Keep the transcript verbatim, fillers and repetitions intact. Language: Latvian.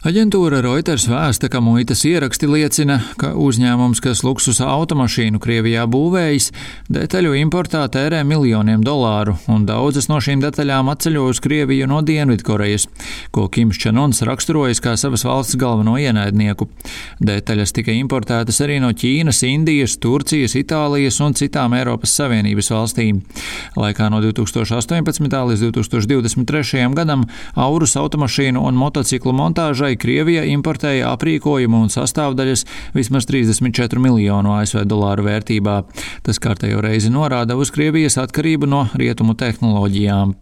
Aģentūra Reuters vēsta, ka muitas ieraksti liecina, ka uzņēmums, kas luksusa automašīnu Krievijā būvējis, detaļu importā tērē miljoniem dolāru, un daudzas no šīm detaļām atceļo uz Krieviju no Dienvidkorejas, ko Kims Čen Uns raksturojas kā savas valsts galveno ienaidnieku. Detaļas tika importētas arī no Ķīnas, Indijas, Turcijas, Itālijas un citām Eiropas Savienības valstīm. Laikā no divi tūkstoši astoņpadsmitā līdz divi tūkstoši divdesmit trešajam gadam Aurus automašīnu un motociklu montāžai Krievija importēja aprīkojumu un sastāvdaļas vismaz trīsdesmit četru miljonu A S V dolāru vērtībā. Tas kārtējo reizi norāda uz Krievijas atkarību no rietumu tehnoloģijām.